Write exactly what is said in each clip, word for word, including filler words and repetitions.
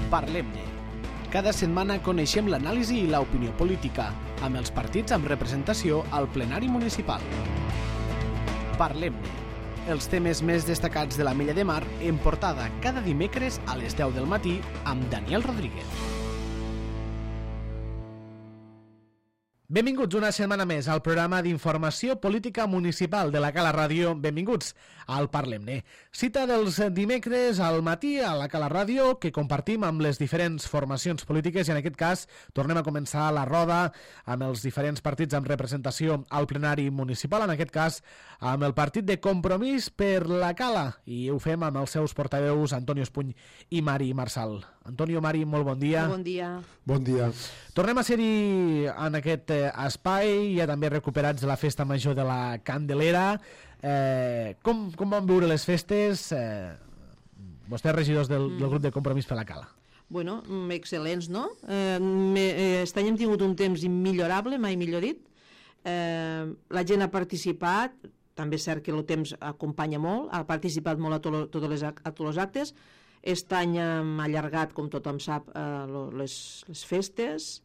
Parlem-ne. Cada setmana coneixem l'anàlisi i l'opinió política, amb els partits amb representació al plenari municipal. Parlem-ne. Els temes més destacats de la Mella de Mar en portada cada dimecres a les deu del matí amb Daniel Rodríguez. Benvinguts una setmana més al programa d'informació política municipal de la Cala Ràdio. Benvinguts al Parlem-ne. Cita dels dimecres al matí a la Cala Ràdio que compartim amb les diferents formacions polítiques i en aquest cas tornem a començar la roda amb els diferents partits amb representació al plenari municipal, en aquest cas amb el partit de Compromís per la Cala, i ho fem amb els seus portaveus Antonio Espuny i Mari Marsal. Antonio, Mari, molt bon dia. Bon dia. Bon dia. Tornem a ser-hi en aquest espai, ja també recuperats de la festa major de la Candelera. Eh, com, com van viure les festes? Eh, vostès, regidors del, del grup de Compromís per la Cala. Bueno, excel·lents, no? Eh, aquest any hem tingut un temps immillorable, mai millor dit. Eh, la gent ha participat, també és cert que el temps acompanya molt, ha participat molt a, to, a, tots, les, a tots els actes. Aquest any hem allargat, com tothom sap, eh, les, les festes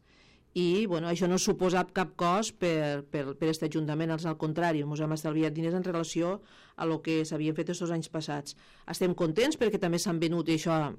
i bueno, això no ha suposat cap cost per, per, per aquest Ajuntament, al contrari, ens hem estalviat diners en relació a lo que s'havien fet aquests anys passats. Estem contents perquè també s'han venut, i això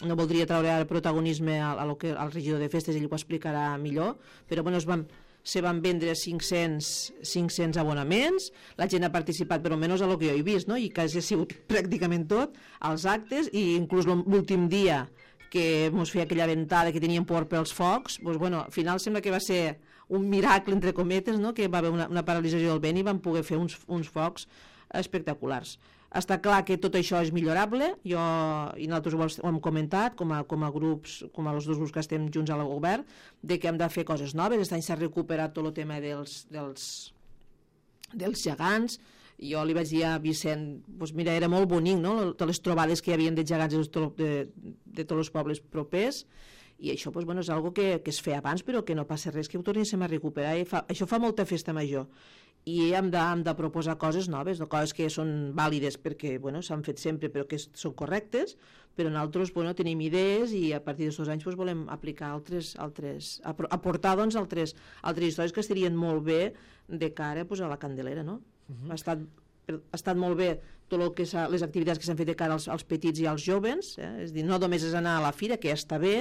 no voldria treure el protagonisme a, a lo que, al regidor de festes, ell ho explicarà millor, però bueno, es van se van vendre cinc-cents abonaments, la gent ha participat per almenys a lo que jo he vist, no? I quasi ha sigut pràcticament tot, als actes, i inclús l'últim dia que ens feia aquella ventada que teníem por pels focs, doncs, bueno, al final sembla que va ser un miracle, entre cometes, no? Que va haver una, una paralització del vent i van poder fer uns, uns focs espectaculars. Està clar que tot això és millorable, jo i nosaltres ho hem comentat com a, com a grups, com a els dos grups que estem junts al govern, de que hem de fer coses noves. Aquest any s'ha recuperat tot el tema dels, dels, dels gegants. Jo li vaig dir a Vicent, doncs mira, era molt bonic, no? Totes les trobades que hi havia de gegants de, de, de tots els pobles propers, i això doncs, bueno, és una que, que es feia abans, però que no passa res, que ho tornéssim a recuperar. I fa, això fa molta festa major. I hem de, hem de proposar coses noves, no? Coses que són vàlides perquè bueno, s'han fet sempre però que són correctes, però nosaltres bueno, tenim idees i a partir d'aquests anys doncs, volem aplicar altres, altres aportar doncs, altres, altres històries que estarien molt bé de cara doncs, a la Candelera, no? Uh-huh. ha, estat, ha estat molt bé tot el que les activitats que s'han fet de cara als, als petits i als jovens, eh? És dir, no només és anar a la fira, que ja està bé,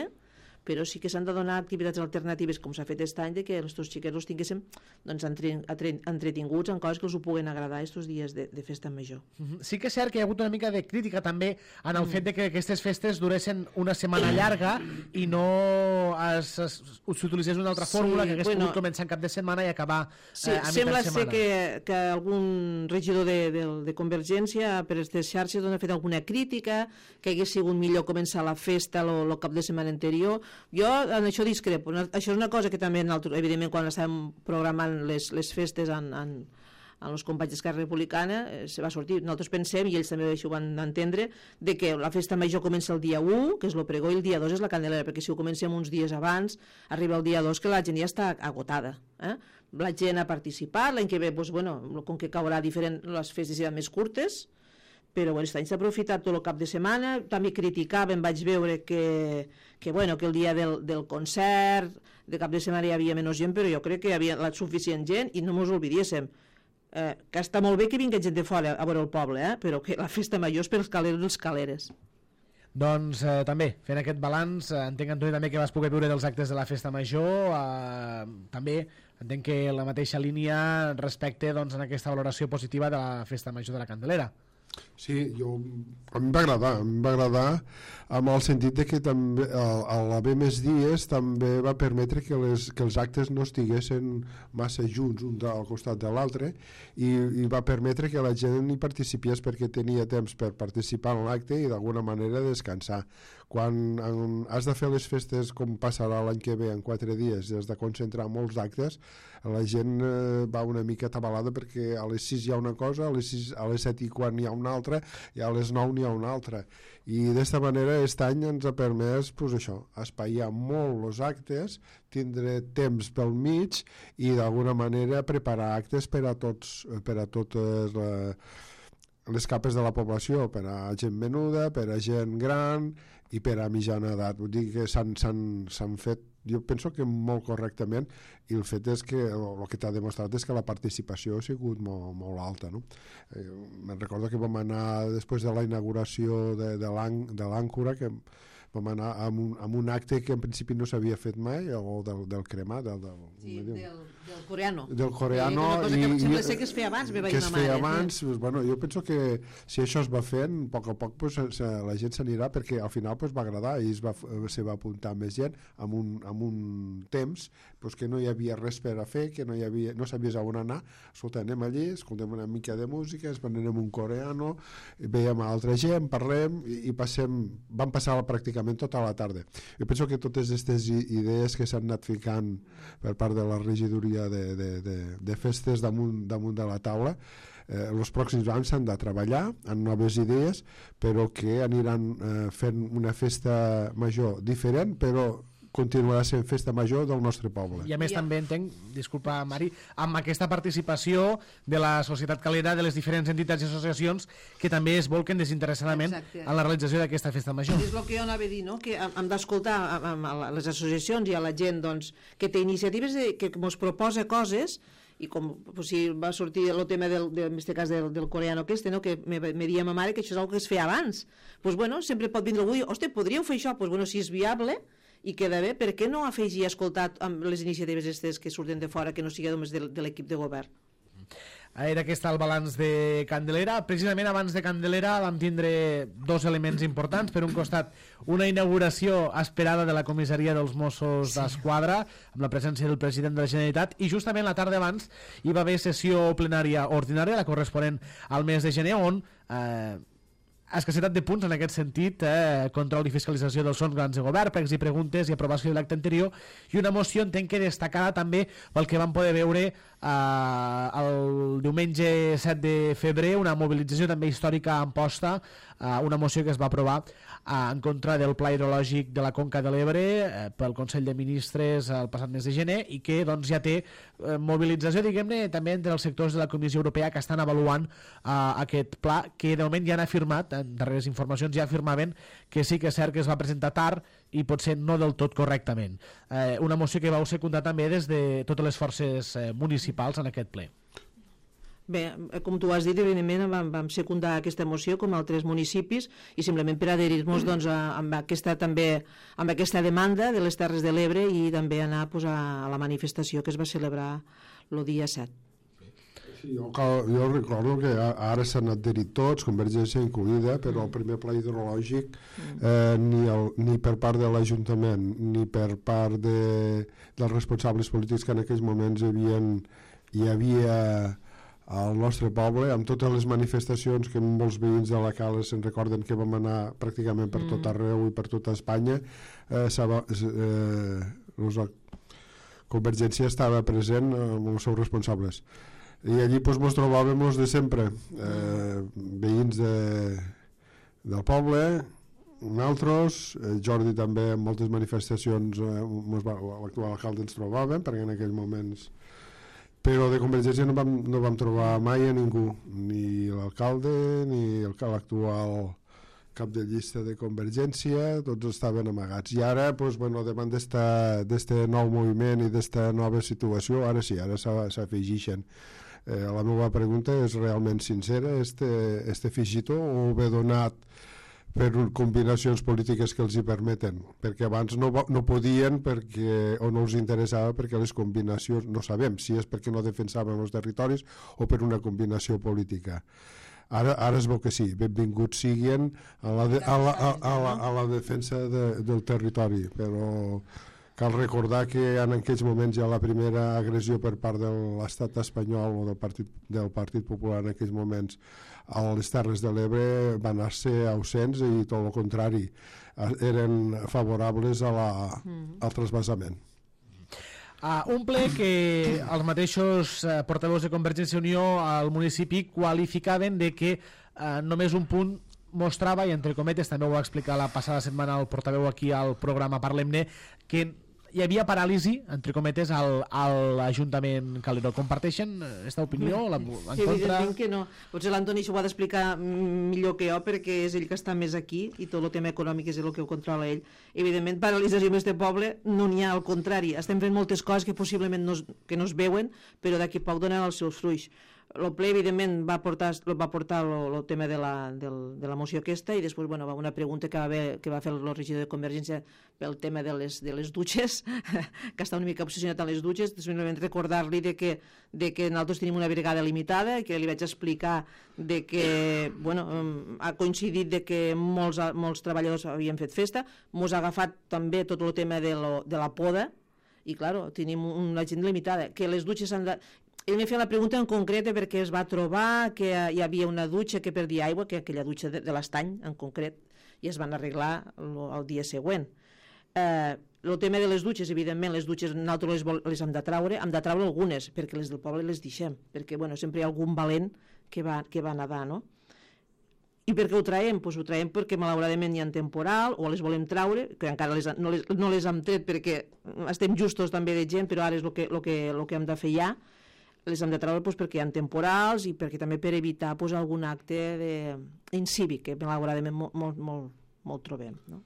però sí que s'han de donar activitats alternatives, com s'ha fet aquest any, de que els teus xiquets els tinguéssim doncs, entre, entre, entretinguts en coses que els ho puguen agradar aquests dies de, de festa major. Uh-huh. Sí que és cert que hi ha hagut una mica de crítica també en el mm. fet de que aquestes festes duressin una setmana llarga i no s'utilitzés una altra fórmula sí, que hagués bueno, pogut començar en cap de setmana i acabar sí, eh, a sembla mitja setmana. Ser que, que algun regidor de, de, de Convergència per aquestes xarxes doncs, ha fet alguna crítica, que hagués sigut millor començar la festa el cap de setmana anterior. Jo en això discrepo. Això és una cosa que també, evidentment, quan estàvem programant les, les festes en, en, en els companys d'Esquerra Republicana eh, se va sortir. Nosaltres pensem, i ells també això ho van entendre, de que la festa major comença el dia u, que és el pregó, i el dia dos és la Candelera, perquè si ho comencem uns dies abans, arriba el dia dos que la gent ja està agotada. Eh? La gent ha participat, l'any que ve, doncs, bueno, com que caurà diferent, les festes seran més curtes, però bueno, aquest any s'ha aprofitat tot el cap de setmana. També criticàvem, vaig veure que, que, bueno, que el dia del, del concert de cap de setmana hi havia menys gent, però jo crec que hi havia la suficient gent i no ens oblidéssim eh, que està molt bé que vingui gent de fora a veure el poble, eh, però que la festa major és pels caleros i els caleres. Doncs eh, també, fent aquest balanç, eh, entenc, Antoni, també que vas poder viure dels actes de la festa major, eh, també entenc que la mateixa línia respecte doncs, en aquesta valoració positiva de la festa major de la Candelera. Sí, jo, a mi em va agradar, a mi em va agradar amb el sentit de que també a l'haver més dies també va permetre que, les, que els actes no estiguessin massa junts un al costat de l'altre i, i va permetre que la gent hi participés perquè tenia temps per participar en l'acte i d'alguna manera descansar. Quan en, has de fer les festes com passarà l'any que ve en quatre dies i has de concentrar molts actes, la gent eh, va una mica atabalada perquè a les sis hi ha una cosa, a les, sis, a les set i quan hi ha una altra i a les nou n'hi ha una altra, i d'esta manera aquest any ens ha permès pues, això, espaiar molt els actes, tindre temps pel mig i d'alguna manera preparar actes per a tots, per a totes la, les capes de la població, per a gent menuda, per a gent gran i per a mitjana edat. Vull dir que s'han fet, jo penso que molt correctament, i el fet és que el que t'ha demostrat és que la participació ha sigut molt, molt alta, no? Eh, me'n recordo que vam anar després de la inauguració de, de l'àncora, que vam anar amb un, amb un acte que en principi no s'havia fet mai, o del, del cremar, del, del, sí, del, del coreano. Del coreano. Sí, una cosa que i, sembla ser que es feia abans, meva que es feia mare. abans, pues, bueno, jo penso que si això es va fent, a poc a poc pues, se, la gent s'anirà, perquè al final pues, va agradar i es va, se va apuntar més gent amb un, amb un temps pues, que no hi havia res per a fer, que no, hi havia, no sabies on anar. Escolta, anem allí, escoltem una mica de música, es anem un coreano, veiem a altra gent, parlem i, i passem, vam passar pràcticament tota la tarda. Jo penso que totes aquestes idees que s'han anat ficant per part de la regidoria de, de, de, de festes damunt, damunt de la taula, eh, els pròxims anys s'han de treballar en noves idees, però que aniran eh, fent una festa major diferent, però continuarà sent festa major del nostre poble. I a més també entenc, disculpa Mari, amb aquesta participació de la societat calera, de les diferents entitats i associacions que també es volquen desinteressadament Exacte. En la realització d'aquesta festa major. És el que jo anava a dir, no? Que hem d'escoltar a, a les associacions i a la gent doncs, que té iniciatives de, que ens proposa coses, i com pues, si va sortir el tema del, del, en aquest cas del, del coreano aquest, no? Que me, me dia ma mare que això és el que es feia abans. Pues, bueno, sempre pot vindre algú i dir, hosti, podríeu fer això? Pues, bueno, si és viable i queda bé, per què no afegir a escoltar amb les iniciatives aquestes que surten de fora, que no sigui només de, de l'equip de govern? Era aquest el balanç de Candelera. Precisament abans de Candelera vam tindre dos elements importants. Per un costat, una inauguració esperada de la comissaria dels Mossos sí. d'Esquadra, amb la presència del president de la Generalitat, i justament la tarda abans hi va haver sessió plenària ordinària, la corresponent al mes de gener, on eh, escassetat de punts en aquest sentit, eh, control i fiscalització dels sons grans de govern, pregs i preguntes i aprovació de l'acte anterior, i una moció entenc que destacada també pel que vam poder veure eh, el diumenge set de febrer, una mobilització també històrica a Amposta, eh, una moció que es va aprovar eh, en contra del pla hidrològic de la Conca de l'Ebre eh, pel Consell de Ministres el passat mes de gener, i que doncs, ja té eh, mobilització, diguem-ne, també entre els sectors de la Comissió Europea que estan avaluant eh, aquest pla, que de moment ja han afirmat, en darreres informacions ja afirmaven que sí que és cert que es va presentar tard i potser no del tot correctament. Eh, una moció que vau secundar també des de totes les forces eh, municipals en aquest ple. Bé, com tu has dit, evidentment vam, vam secundar aquesta moció com altres municipis i simplement per adherir-nos doncs, a, amb, aquesta, també, amb aquesta demanda de les Terres de l'Ebre i també anar pues, a la manifestació que es va celebrar el dia set. Sí, jo, jo recordo que ara s'han adherit tots, Convergència incluïda, però el primer pla hidrològic eh, ni, el, ni per part de l'Ajuntament ni per part de, dels responsables polítics que en aquells moments hi havia, hi havia al nostre poble, amb totes les manifestacions que molts veïns de la Cala se'n recorden que vam anar pràcticament per tot arreu i per tota Espanya, eh, eh, la Convergència estava present amb els seus responsables. I allí doncs, ens trobàvem de sempre, eh, veïns de, del poble, nosaltres, eh, Jordi també en moltes manifestacions, eh, l'actual alcalde ens trobàvem, perquè en aquells moments... Però de Convergència no vam, no vam trobar mai a ningú, ni l'alcalde, ni l'actual cap de llista de Convergència, tots estaven amagats. I ara, doncs, bueno, davant d'aquest nou moviment i d'aquesta nova situació, ara sí, ara s'afegixen. Eh, la meva pregunta és realment sincera, este, este afegitó o ve donat per combinacions polítiques que els hi permeten? Perquè abans no, no podien perquè, o no els interessava perquè les combinacions, no sabem si és perquè no defensaven els territoris o per una combinació política. Ara, ara es veu que sí, benvinguts siguin a la, de, a la, a, a la, a la defensa de, del territori, però cal recordar que en aquells moments ja la primera agressió per part de l'estat espanyol o del Partit, del Partit Popular en aquells moments a les Terres de l'Ebre van anar-se ausents i tot el contrari, eren favorables a la, al trasbassament. Uh, un ple que els mateixos uh, portaveus de Convergència i Unió al municipi qualificaven de que uh, només un punt mostrava, i entre cometes també ho va explicar la passada setmana el portaveu aquí al programa Parlem-ne, que hi havia paràlisi, entre cometes, al, a l'Ajuntament Calderó. Comparteixen aquesta opinió? La, en Sí, contra? evidentment que no. Potser l'Antoni s'ho ha d'explicar millor que jo, perquè és ell que està més aquí i tot el tema econòmic és el que ho controla ell. Evidentment, paralització en aquest poble no n'hi ha, al contrari. Estem fent moltes coses que possiblement no es, que no es veuen, però d'aquí poc donen els seus fruits. El ple, evidentment, va portar, va portar el tema de la, del, de la moció aquesta i després, bueno, va una pregunta que va, haver, que va fer el regidor de Convergència pel tema de les, de les dutxes, que està una mica obsessionat amb les dutxes. Simplement recordar-li de que, de que nosaltres tenim una brigada limitada, que li vaig explicar de que, bueno, ha coincidit de que molts, molts treballadors havien fet festa, mos ha agafat també tot el tema de, lo, de la poda, i, clar, tenim una gent limitada, que les dutxes s'han de... Ell m'ha fet la pregunta en concreta perquè es va trobar que hi havia una dutxa que perdia aigua, que aquella dutxa de, de l'Estany en concret, i es van arreglar el, el dia següent. Eh, el tema de les dutxes, evidentment, les dutxes nosaltres les, les hem de traure, hem de traure algunes, perquè les del poble les deixem, perquè bueno, sempre hi ha algun valent que va, que va nedar, no? I per què ho traiem? Pues ho traiem perquè malauradament hi ha temporal, o les volem traure, que encara les, no, les, no les hem tret perquè estem justos també de gent, però ara és el que, el que, el que hem de fer ja. Les hem de treure pues, perquè hi ha temporals i perquè també per evitar pues, algun acte de... incívic, que malauradament molt, molt, molt, molt trobem, no?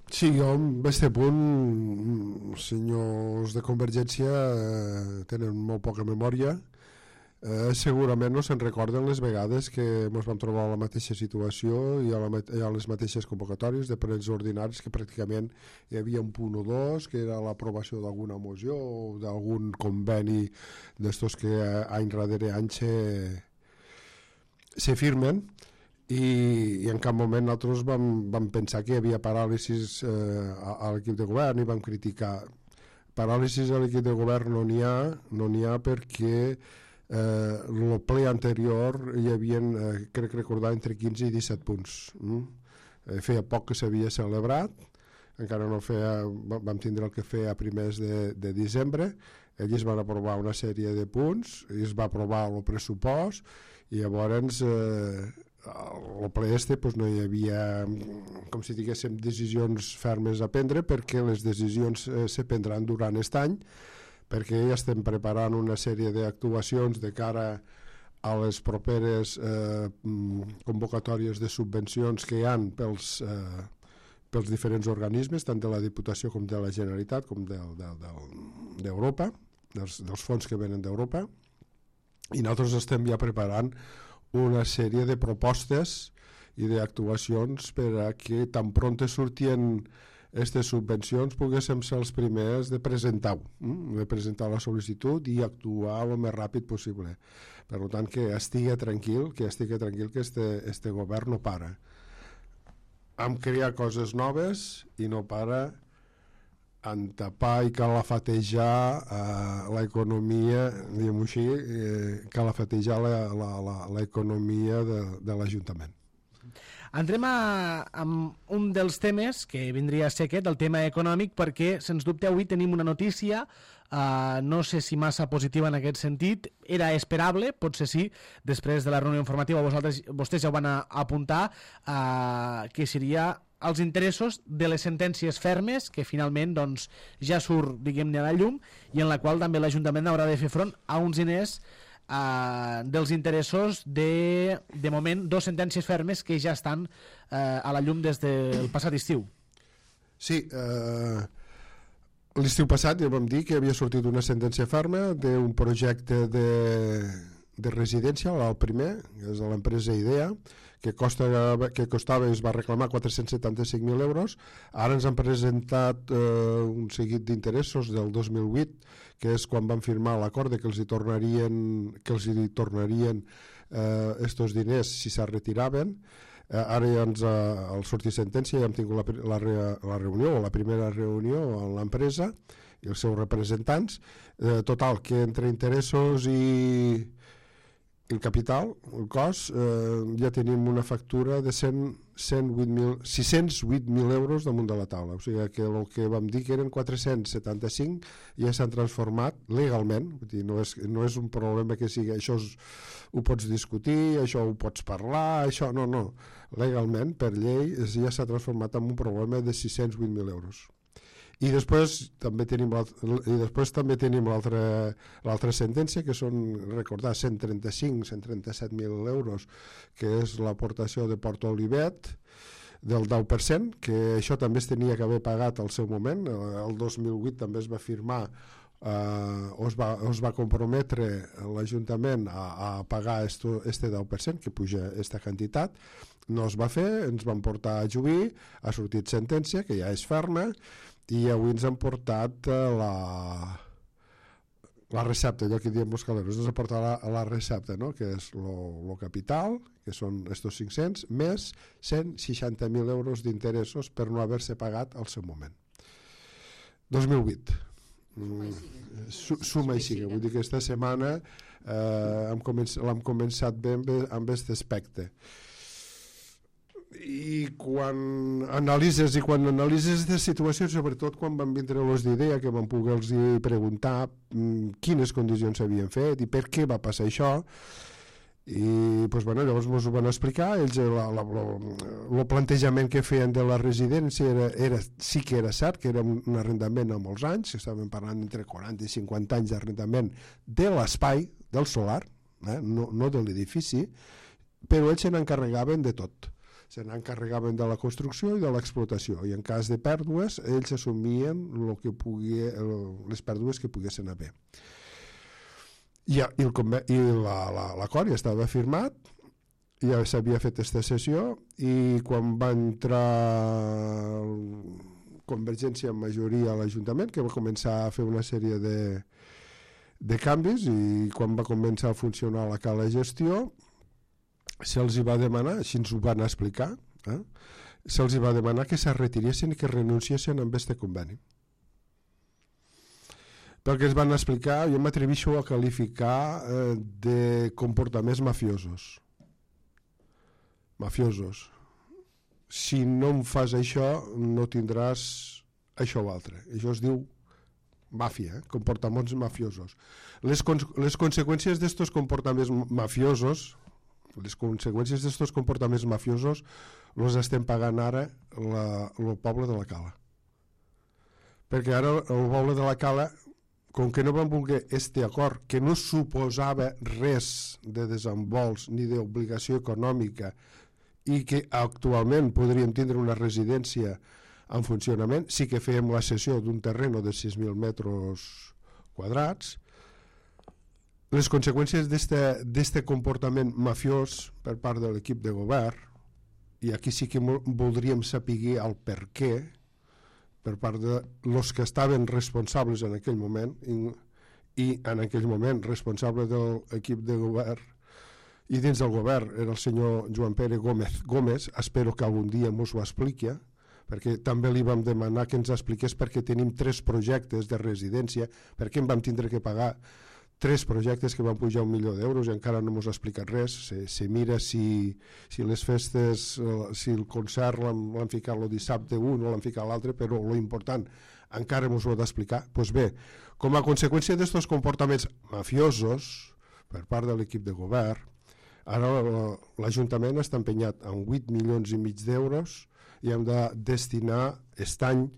Sí, jo en aquest punt, senyors de Convergència eh, tenen molt poca memòria. Eh, segurament no se'n recorden les vegades que ens vam trobar a la mateixa situació i a, la, a les mateixes convocatòries de plens ordinaris, que pràcticament hi havia un punt o dos, que era l'aprovació d'alguna moció o d'algun conveni d'estos que any darrere any se, se firmen, i, i en cap moment nosaltres vam, vam pensar que hi havia paràlisis eh, a, a l'equip de govern i vam criticar. Paràlisis a l'equip de govern no n'hi ha, no n'hi ha perquè Eh, el ple anterior hi havia, eh, crec recordar, entre quinze i disset punts. Mm? Eh, feia poc que s'havia celebrat, encara no feia, vam tindre el que fer a primers de, de desembre, ells van aprovar una sèrie de punts, i es va aprovar el pressupost, i llavors eh, el ple este pues, no hi havia, com si diguéssim, decisions fermes a prendre, perquè les decisions eh, se prendran durant aquest any, perquè ja estem preparant una sèrie d'actuacions de cara a les properes eh, convocatòries de subvencions que hi ha pels, eh, pels diferents organismes, tant de la Diputació com de la Generalitat, com d'Europa, dels, dels fons que venen d'Europa, i nosaltres estem ja preparant una sèrie de propostes i d'actuacions per a que tan pronte surtien aquestes subvencions poguéssim ser els primers de presentar-ho, de presentar la sol·licitud i actuar el més ràpid possible. Per tant, que estigui tranquil, que estigui tranquil que este, este govern no para. Hem creat coses noves i no para en tapar i calafatejar eh, l'economia, diguem-ho així, eh, calafatejar l'economia de, de l'Ajuntament. Entrem a, a un dels temes que vindria a ser aquest, el tema econòmic, perquè, sens dubte, avui tenim una notícia, uh, no sé si massa positiva en aquest sentit, era esperable, potser sí, després de la reunió informativa vosaltres, vostès ja ho van a, a apuntar, uh, que seria els interessos de les sentències fermes, que finalment doncs, ja surt, diguem-ne, a la llum, i en la qual també l'Ajuntament haurà de fer front a uns diners Uh, dels interessos de, de moment, dos sentències fermes que ja estan uh, a la llum des del passat estiu. Sí, eh, l'estiu passat ja vam dir que havia sortit una sentència ferma d'un projecte de, de residència, el primer, que és de l'empresa IDEA, que, costa, que costava, es va reclamar quatre-cents setanta-cinc mil euros. Ara ens han presentat eh, un seguit d'interessos del dos mil vuit, que és quan van firmar l'acord que els hi tornarien, que els hi tornarien eh, estos diners si se'n retiraven. Eh, ara ja ens ha sortit sentència, ja hem tingut la, la, la reunió, o la primera reunió amb l'empresa i els seus representants. Eh, total, que entre interessos i el capital, el cost, eh, ja tenim una factura de cent, cent vuit mil, sis-cents vuit mil euros damunt de la taula. O sigui que el que vam dir que eren quatre-cents setanta-cinc ja s'han transformat legalment. Vull dir, no, és, no és un problema que sigui això és, ho pots discutir, això ho pots parlar, això no, no. Legalment, per llei, ja s'ha transformat en un problema de sis-cents vuit mil euros. I després també tenim i després també tenim l'altra l'altra sentència, que són, recordar, cent trenta-cinc cent trenta-set mil euros, que és l'aportació de Porto Olivet del deu per cent, que això també es tenia que haver pagat al seu moment. El dos mil vuit també es va firmar, eh, o es va, es va comprometre l'Ajuntament a, a pagar esto, este deu per cent, que puja aquesta quantitat. No es va fer, ens van portar a juí, ha sortit sentència, que ja és ferma, i avui ens han portat uh, la, la recepta, allò que diem els caleros, ens han portat la, la recepta, no? Que és el capital, que són estos cinc-cents, més cent seixanta mil euros d'interessos per no haver-se pagat al seu moment. dos mil vuit. Mm, suma i siga. Vull dir que aquesta setmana eh, l'hem començat, començat bé amb, amb aquest aspecte. I quan analitzes i quan analitzes aquesta situació, sobretot quan van vindre els d'Idea, que van poder-los preguntar mm, quines condicions s'havien fet i per què va passar això, i pues, bueno, llavors ens ho van explicar. Ells el plantejament que feien de la residència era, era, sí que era cert, que era un arrendament a molts anys, que estàvem parlant entre quaranta i cinquanta anys d'arrendament de l'espai, del solar, eh? no, no de l'edifici, però ells se n'encarregaven de tot. Se n'encarregaven de la construcció i de l'explotació, i en cas de pèrdues ells assumien lo que pugui, les pèrdues que poguessin haver. I, i, el, i l'acord la, ja estava firmat, ja s'havia fet aquesta sessió, i quan va entrar Convergència en majoria a l'Ajuntament, que va començar a fer una sèrie de, de canvis, i quan va començar a funcionar la cala gestió, se'ls va demanar, així ens ho van explicar, eh? se'ls va demanar que se retiressin i que renunciessin amb este conveni. Perquè ens van explicar, jo m'atreveixo a qualificar eh, de comportaments mafiosos. Mafiosos. Si no em fas això, no tindràs això o altre. Això es diu màfia, eh? Comportaments mafiosos. Les, con les conseqüències d'estos comportaments mafiosos, les conseqüències d'aquests comportaments mafiosos els estem pagant ara el poble de la Cala, perquè ara el poble de la Cala, com que no van voler este acord, que no suposava res de desembols ni d'obligació econòmica i que actualment podríem tindre una residència en funcionament, sí que fèiem la cessió d'un terreno de sis mil metres quadrats. Les conseqüències d'aquest comportament mafiós per part de l'equip de govern, i aquí sí que voldríem saber el per què, per part de los que estaven responsables en aquell moment, i, i en aquell moment responsable de l'equip de govern, i dins del govern era el senyor Joan Pere Gómez Gómez, espero que algun dia ens ho expliqui, perquè també li vam demanar que ens expliqués perquè tenim tres projectes de residència, perquè em vam tindre que pagar tres projectes que van pujar un milió d'euros i encara no ens ha explicat res. Se, se mira si, si les festes, si el concert l'han ficat el dissabte un o l'han ficat l'altre, però lo important encara ens ho ha d'explicar. Pues bé, com a conseqüència d'aquests comportaments mafiosos per part de l'equip de govern, ara l'Ajuntament està empenyat en vuit milions i mig d'euros i hem de destinar aquest any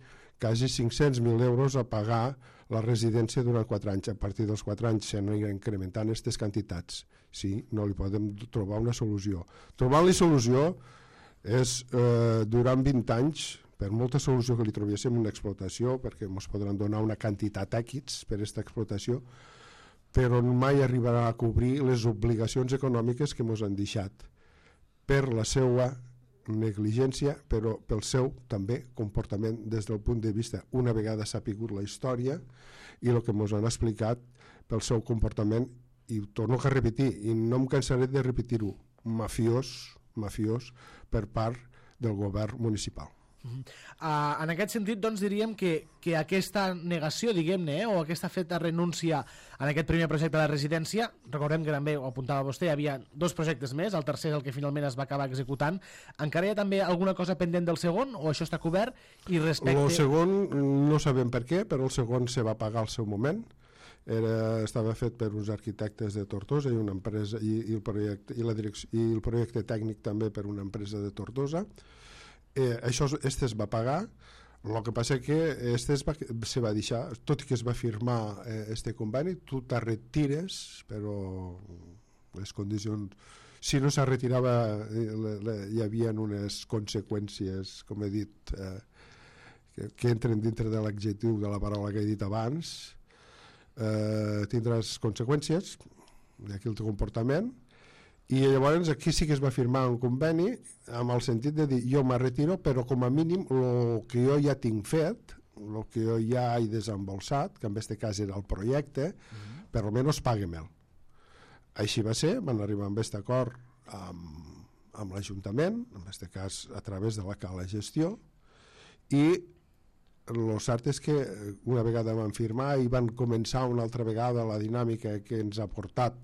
quasi cinc-cents mil euros a pagar la residència durant quatre anys. A partir dels quatre anys s'aniran incrementant aquestes quantitats. Sí, no li podem trobar una solució. Trobar-li solució és, eh, durant vint anys, per molta solució que li trobéssim una explotació, perquè ens podran donar una quantitat èquits per aquesta explotació, però mai arribarà a cobrir les obligacions econòmiques que ens han deixat per la seva negligència, però pel seu també comportament des del punt de vista, una vegada s'ha sapigut la història i el que ens han explicat pel seu comportament, i torno a repetir, i no em cansaré de repetir-ho, mafiós, mafiós per part del govern municipal. Uh, en aquest sentit, doncs, diríem que, que aquesta negació, diguem-ne, eh, o aquesta feta renúncia en aquest primer projecte de residència, recordem que també ho apuntava vostè, hi havia dos projectes més, el tercer és el que finalment es va acabar executant. Encara hi ha també alguna cosa pendent del segon, o això està cobert? I respecte... El segon no sabem per què, però el segon se va pagar al seu moment. Era, estava fet per uns arquitectes de Tortosa i una empresa i, i, el projecte, i, la direcció, i el projecte tècnic també per una empresa de Tortosa. Eh, això este es va pagar. El que passa que este es va, se va deixar, tot i que es va firmar eh, este conveni, tu te retires, però les condicions... Si no se retirava, eh, le, le, hi havia unes conseqüències, com he dit, eh, que, que entren dintre de l'adjectiu de la paraula que he dit abans, eh, tindràs conseqüències d'aquí el teu comportament, i llavors aquí sí que es va firmar un conveni amb el sentit de dir jo me retiro, però com a mínim el que jo ja tinc fet, el que jo ja he desembolsat, que en aquest cas era el projecte, mm-hmm. per almenys pague-me'l. Així va ser, van arribar amb aquest acord amb, amb l'Ajuntament, en aquest cas a través de la Cala Gestió, i el cert és que una vegada van firmar i van començar una altra vegada la dinàmica que ens ha portat,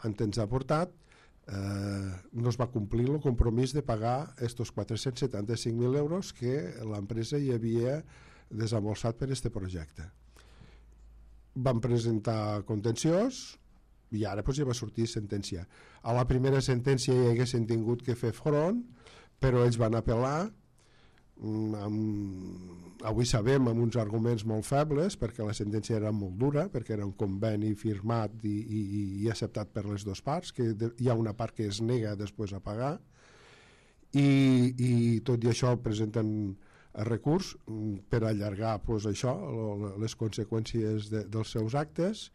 on ens ha portat, eh, no es va complir el compromís de pagar aquests quatre-cents setanta-cinc mil euros que l'empresa hi havia desembolsat per aquest projecte. Van presentar contenciós, i ara doncs, ja va sortir sentència. A la primera sentència hi haguessin tingut que fer front, però ells van apel·lar, amb, avui sabem amb uns arguments molt febles, perquè la sentència era molt dura, perquè era un conveni firmat i, i, i acceptat per les dues parts, que hi ha una part que es nega després a pagar, i, i tot i això presenten recurs per allargar doncs, això, les conseqüències de, dels seus actes,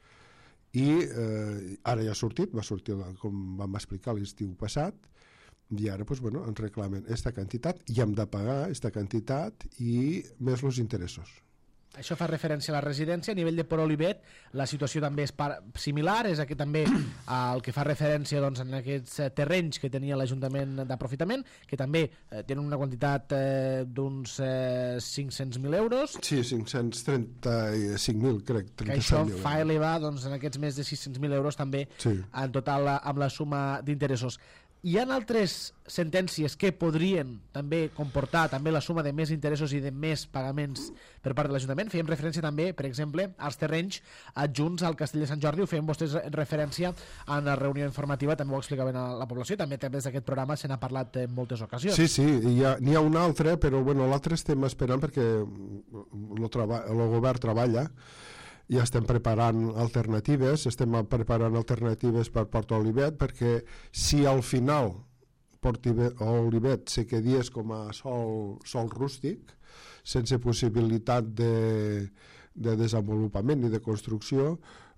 i eh, ara ja ha sortit, va sortir com vam explicar l'estiu passat, i ara doncs, bueno, ens reclamen aquesta quantitat i hem de pagar aquesta quantitat i més els interessos. Això fa referència a la residència. A nivell de Port Olivet la situació també és similar, és que també el que fa referència doncs, en aquests terrenys que tenia l'Ajuntament d'aprofitament, que també eh, tenen en eh, d'uns eh, cinc-cents mil euros. Sí, cinc-cents trenta-cinc mil, crec. Que això fa elevar doncs, en aquests més de sis-cents mil euros també sí. en total amb la suma d'interessos. Hi ha altres sentències que podrien també comportar també la suma de més interessos i de més pagaments per part de l'Ajuntament. Fèiem referència també, per exemple, als terrenys adjunts al Castell de Sant Jordi. Ho feien vostès referència en la reunió informativa, també ho explicaven a la població, també des d'aquest programa se n'ha parlat en moltes ocasions. Sí, sí, n'hi ha, ha un altre, però bueno, l'altre estem esperant perquè el, treba, el govern treballa, ja estem preparant alternatives, estem preparant alternatives per Port Olivet, perquè si al final Port Olivet se quedies com a sol, sol rústic, sense possibilitat de, de desenvolupament ni de construcció,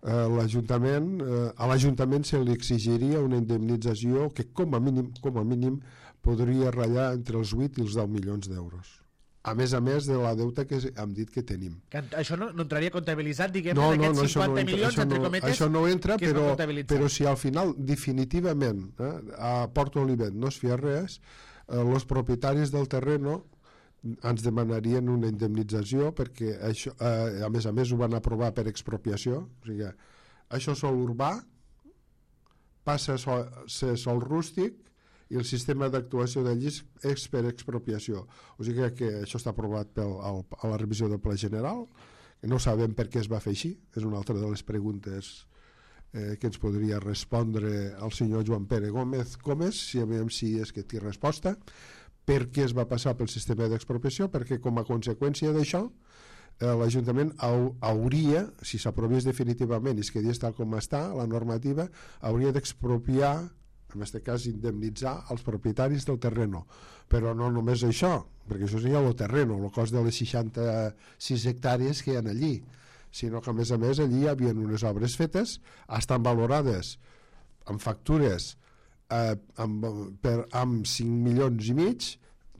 eh, l'Ajuntament, eh, a l'Ajuntament se li exigiria una indemnització que com a mínim, com a mínim podria ratllar entre els vuit i els deu milions d'euros. A més a més de la deuta que hem dit que tenim. Que això no, no entraria comptabilitzat, diguem, no, en no, aquests no, cinquanta no milions, entra, entre no, cometes, això no entra, que però, no però si al final definitivament eh, a Port Olivet no es feia res, els eh, propietaris del terreno ens demanarien una indemnització perquè això, eh, a més a més ho van aprovar per expropiació, o sigui, això és sol urbà, passa a ser sol rústic, i el sistema d'actuació d'allí és per expropiació. O sigui que això està aprovat pel, al, a la revisió del Pla General, que no sabem per què es va fer així, és una altra de les preguntes eh, que ens podria respondre el senyor Joan Pere Gómez Gómez, si a veure si és que té resposta, per què es va passar pel sistema d'expropiació, perquè com a conseqüència d'això eh, l'Ajuntament hauria, si s'aprovés definitivament i es quedés tal com està, la normativa hauria d'expropiar, en aquest cas indemnitzar els propietaris del terreno, però no només això, perquè això seria el terreno, el cost de les seixanta-sis hectàrees que hi ha allí, sinó que a més a més allí hi havia unes obres fetes, estan valorades amb factures eh, amb, per, amb cinc milions i mig,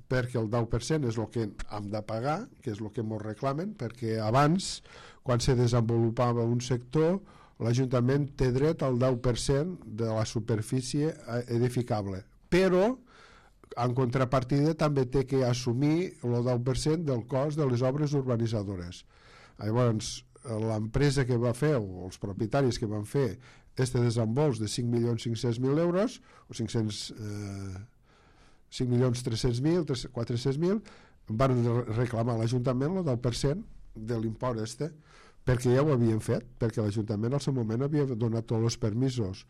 perquè el deu per cent és el que hem de pagar, que és el que ens reclamen, perquè abans, quan se desenvolupava un sector, l'Ajuntament té dret al deu per cent de la superfície edificable, però en contrapartida també té que assumir el deu per cent del cost de les obres urbanitzadores. Llavors, l'empresa que va fer, o els propietaris que van fer este desembols de cinc milions cinc-cents mil euros, o cinc-cents, eh, cinc milions tres-cents mil, quatre-cents mil, van reclamar a l'Ajuntament el deu per cent de l'import este, perquè ja ho havien fet, perquè l'Ajuntament al seu moment havia donat tots els permisos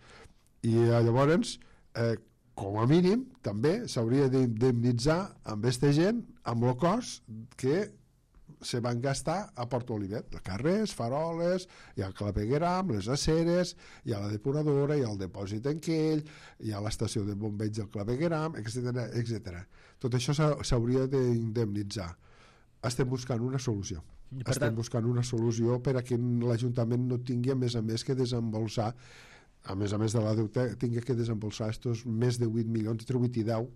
i llavors eh, com a mínim també s'hauria d'indemnitzar amb aquesta gent amb el cost que se van gastar a Port Olivet, carrers, faroles, hi ha el clavegueram, les aceres, hi ha la depuradora, hi ha el dipòsit en Quell, hi ha l'estació de bombeig del clavegueram, etcètera etcètera. Tot això s'hauria d'indemnitzar. Estem buscant una solució. Per Estem tant... buscant una solució per a que l'Ajuntament no tingui a més a més que desembolsar, a més a més de la deuta, tingui que desembolsar estos més de vuit milions, entre vuit i deu,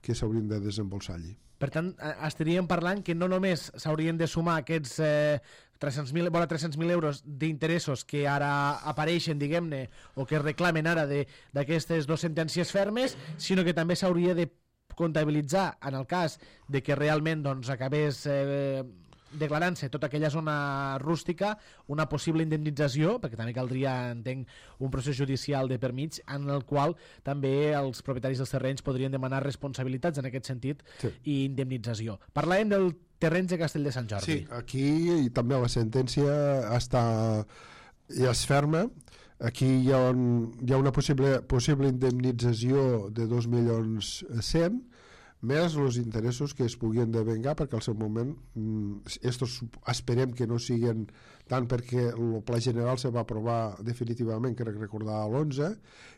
que s'haurien de desembolsar allí. Per tant, estaríem parlant que no només s'haurien de sumar aquests eh, tres-cents mil vora tres-cents mil euros d'interessos que ara apareixen, diguem-ne, o que es reclamen ara d'aquestes dues sentències fermes, sinó que també s'hauria de comptabilitzar, en el cas de que realment doncs, acabés eh, declarant-se tota aquella zona rústica, una possible indemnització, perquè també caldria, entenc, un procés judicial de per mig, en el qual també els propietaris dels terrenys podrien demanar responsabilitats en aquest sentit, sí, i indemnització. Parlàvem del terreny de Castell de Sant Jordi. Sí, aquí i també la sentència està, ja és ferma. Aquí hi ha, un, hi ha una possible, possible indemnització de dos milions cent, més els interessos que es puguin devengar, perquè al seu moment estos esperem que no siguin tant, perquè el pla general se va aprovar definitivament, crec recordar, a l'onze,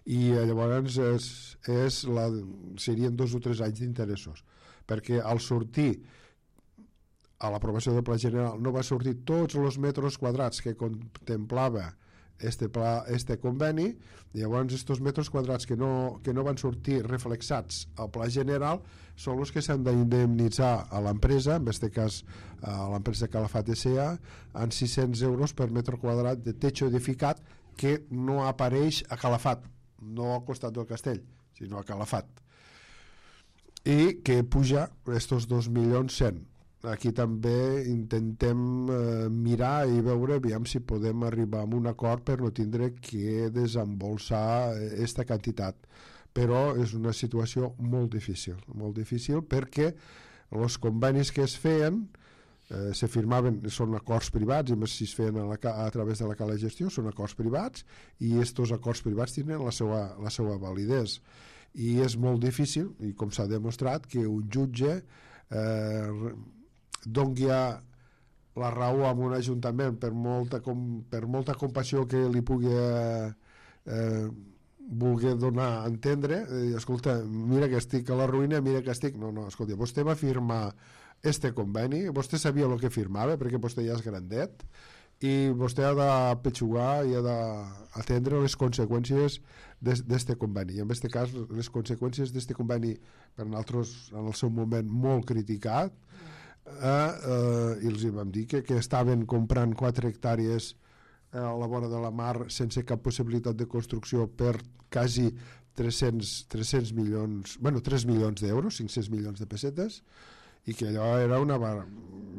i llavors és, és la, serien dos o tres anys d'interessos, perquè al sortir a l'aprovació del pla general no va sortir tots els metres quadrats que contemplava este, pla, este conveni, i llavors estos metres quadrats que no, que no van sortir reflexats al pla general són els que s'han d'indemnitzar a l'empresa, en aquest cas a l'empresa Calafat S A, en sis-cents euros per metre quadrat de techo edificat que no apareix a Calafat, no al costat del castell, sinó a Calafat, i que puja estos dos milions cent. Aquí també intentem eh, mirar i veure aviam si podem arribar a un acord per no tindre que desembolsar aquesta quantitat, però és una situació molt difícil, molt difícil perquè els convenis que es feien eh, se firmaven, són acords privats, i més si es feien a, la, a través de la Cala de Gestió, són acords privats, i aquests acords privats tenen la seva, la seva validesa, i és molt difícil, i com s'ha demostrat, que un jutge eh, doni la raó a un ajuntament per molta, com, per molta compassió que li pugui eh, eh, voler donar a entendre, eh, escolta, mira que estic a la ruïna, mira que estic... No, no, escolta, vostè va firmar este conveni, vostè sabia el que firmava, perquè vostè ja és grandet, i vostè ha de petxugar i ha d'atendre les conseqüències d'este conveni. I en aquest cas, les conseqüències d'este conveni, per nosaltres, en el seu moment, molt criticat, Eh, eh, i els hi vam dir que, que estaven comprant quatre hectàrees eh, a la vora de la mar sense cap possibilitat de construcció per quasi tres-cents milions, bueno, tres milions d'euros, cinc-cents milions de pessetes, i que allò era una barra,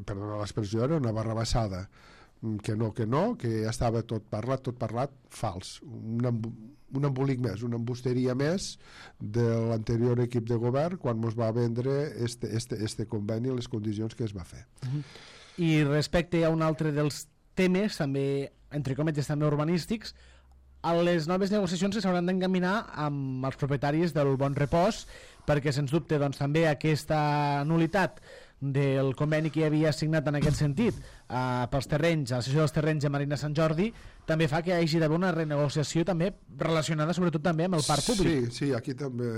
perdona l'expressió, era una barrabassada, que no, que no, que ja estava tot parlat, tot parlat, fals, un, un embolic més, una embusteria més de l'anterior equip de govern quan ens va vendre este, este, este conveni i les condicions que es va fer. Uh-huh. I respecte a un altre dels temes, també, entre cometes, també urbanístics, a les noves negociacions que s'hauran d'encaminar amb els propietaris del Bon Repòs, perquè sens dubte doncs, també aquesta nulitat del conveni que hi havia signat en aquest sentit eh, pels terrenys, a la sessió dels terrenys de Marina Sant Jordi, també fa que hi hagi d'haver una renegociació també relacionada sobretot també amb el parc públic. Sí, sí, aquí també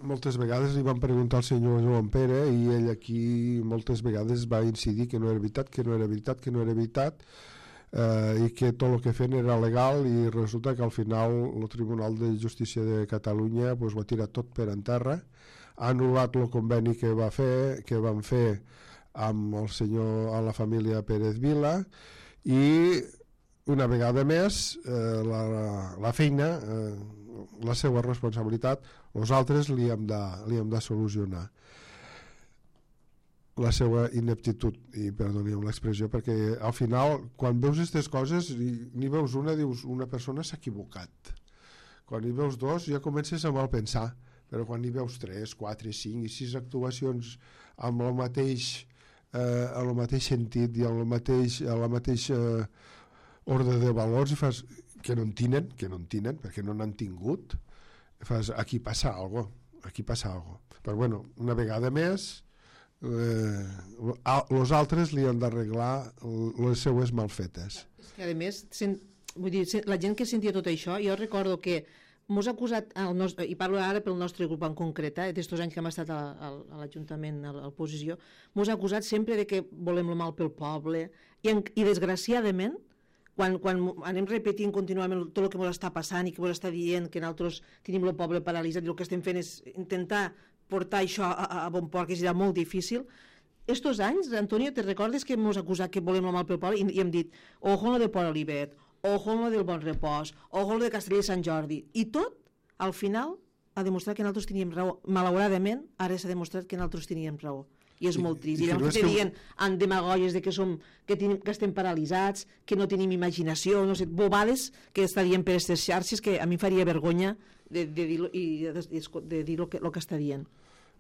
moltes vegades li van preguntar al senyor Joan Pere i ell aquí moltes vegades va incidir que no era veritat, que no era veritat, que no era veritat, eh, i que tot el que feien era legal, i resulta que al final el Tribunal de Justícia de Catalunya pues, ho ha tirat tot per en terra, ha anul·lat el conveni que va fer que van fer amb el senyor, a la família Pérez Vila, i una vegada més eh, la, la feina eh, la seva responsabilitat nosaltres li hem de, li hem de solucionar la seva ineptitud, i perdoni'm l'expressió, perquè al final quan veus aquestes coses ni veus una, dius una persona s'ha equivocat, quan hi veus dos ja comences a mal pensar, però quan hi veus tres, quatre, cinc i sis actuacions amb el mateix, eh, en el mateix sentit i en el mateix, en la mateixa eh, ordre de valors, i fas que no en tenen, que no en tenen, perquè no n'han tingut, fas, aquí passa alguna cosa, aquí passa alguna cosa. Però bueno, una vegada més, els eh, altres li han d'arreglar les seues malfetes. És que a més, sen, vull dir, la gent que sentia tot això, jo recordo que mos ha acusat, el nostre, i parlo ara pel nostre grup en concret, eh, d'estos anys que hem estat a, a, a l'Ajuntament, a l'oposició, mos ha acusat sempre de que volem el mal pel poble, i, en, i desgraciadament, quan, quan anem repetint contínuament tot el que ens està passant i que ens està dient que nosaltres tenim el poble paralitzat i el que estem fent és intentar portar això a, a bon port, que serà molt difícil. Estos anys, Antonio, te recordes que ens acusat que volem el mal pel poble i, i hem dit, ojo lo de Port Olivet, ojo lo del Bon Repòs, ojo lo de Castelló de Sant Jordi, i tot, al final, ha demostrat que nosaltres teníem raó. Malauradament, ara s'ha demostrat que nosaltres teníem raó. I és molt trist. I, i llavors que dient en demagogies de que, som, que, tenim, que estem paralitzats, que no tenim imaginació, no sé, bobades que està dient per aquestes xarxes que a mi faria vergonya de, de dir-lo i de, de, de dir el que, lo que està dient.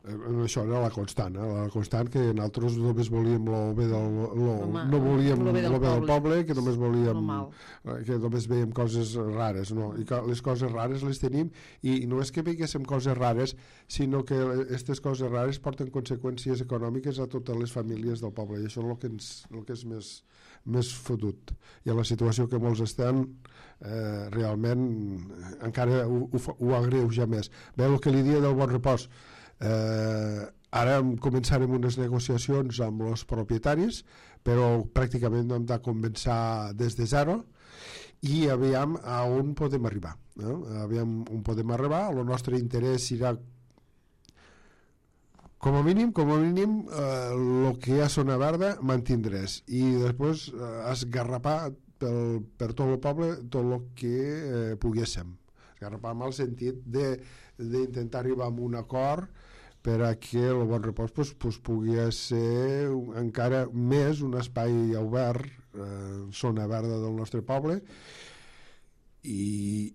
Això era la constant, eh? La constant que nosaltres només volíem el bé del, lo, Home, no volíem el bé del, del poble, que només volíem que només veiem coses rares, no? I que les coses rares les tenim, i no és que veiéssim coses rares, sinó que aquestes coses rares porten conseqüències econòmiques a totes les famílies del poble, i això és el que, ens, el que és més, més fotut. I a la situació que molts estan, eh, realment encara ho, ho, ho agreuja més. Bé, el que li dia del Bon Repòs, Eh, ara començarem unes negociacions amb els propietaris, però pràcticament hem de començar des de zero i aviam a on podem arribar, eh? Aviam on podem arribar. El nostre interès serà com a mínim com a mínim el eh, que hi ha zona verda mantindràs i després eh, esgarrapar pel, per tot el poble tot el que eh, poguéssim esgarrapar amb el sentit d'intentar arribar a un acord per a que el Bon Repòs pues, pues, pugui ser encara més un espai obert, eh, zona verda del nostre poble, i,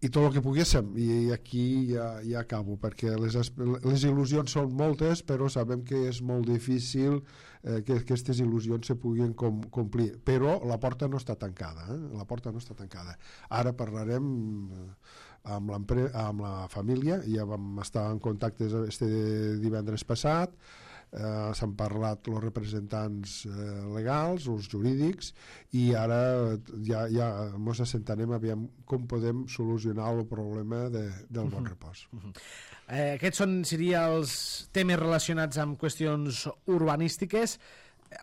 i tot el que poguéssim. I aquí ja, ja acabo, perquè les, les il·lusions són moltes, però sabem que és molt difícil eh, que aquestes il·lusions se puguin com, complir. Però la porta no està tancada, eh? La porta no està tancada. Ara parlarem amb, amb la família, ja vam estar en contacte este divendres passat, eh, s'han parlat els representants eh, legals, els jurídics, i ara ja, ja ens assentarem aviam com podem solucionar el problema de, del Bon Repòs. Uh -huh. eh, aquests són, seria els temes relacionats amb qüestions urbanístiques.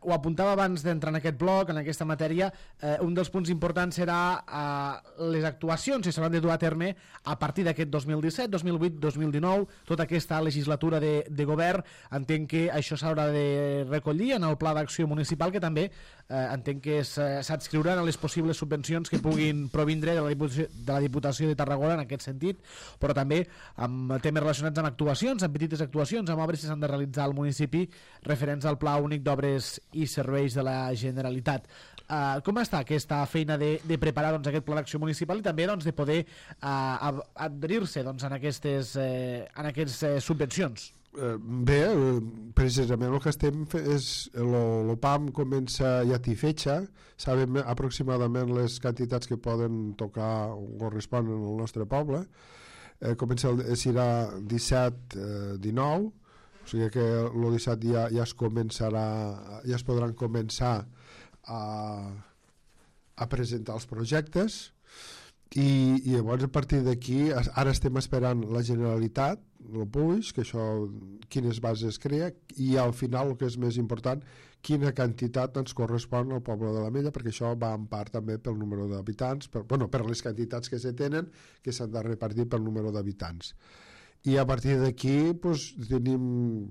Ho apuntava abans d'entrar en aquest bloc, en aquesta matèria, eh, un dels punts importants serà eh, les actuacions que s'hauran de dur a terme a partir d'aquest dos mil disset, dos mil vuit, dos mil dinou, tota aquesta legislatura de, de govern. Entenc que això s'haurà de recollir en el pla d'acció municipal, que també eh, entenc que s'adscriuran a les possibles subvencions que puguin provindre de la, Diputació, de la Diputació de Tarragona en aquest sentit, però també amb temes relacionats amb actuacions, amb petites actuacions, amb obres que s'han de realitzar al municipi referents al Pla Únic d'Obres i Serveis de la Generalitat. Uh, com està aquesta feina de, de preparar doncs, aquest pla d'acció municipal i també doncs, de poder uh, adherir-se doncs, en aquestes, eh, en aquestes eh, subvencions? Eh, bé, precisament el que estem fent és el P A M comença ja té fetxa, sabem aproximadament les quantitats que poden tocar o corresponen al nostre poble, eh, comença el, serà disset dinou, o sigui que el disset ja, ja es començarà, ja es podran començar a, a presentar els projectes i, i llavors a partir d'aquí ara estem esperant la Generalitat, el Puig, que això quines bases crea, i al final el que és més important, quina quantitat ens correspon al poble de l'Ametlla, perquè això va en part també pel número d'habitants, per, bueno, per les quantitats que se tenen, que s'han de repartir pel número d'habitants. I a partir d'aquí pues, tenim,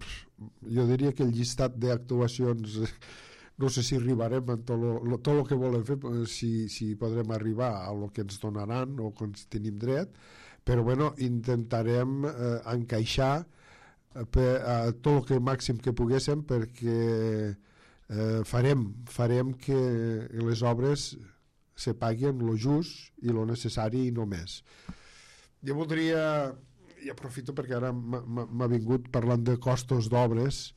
jo diria que el llistat d'actuacions, no sé si arribarem a tot lo, tot el que volem fer, si, si podrem arribar a lo que ens donaran o que ens tenim dret, però bueno, intentarem eh, encaixar per, a tot el que màxim que poguéssim, perquè eh, farem, farem que les obres se paguin lo just i lo necessari i no més. Jo voldria... i aprofito perquè ara m'ha vingut parlant de costos d'obres,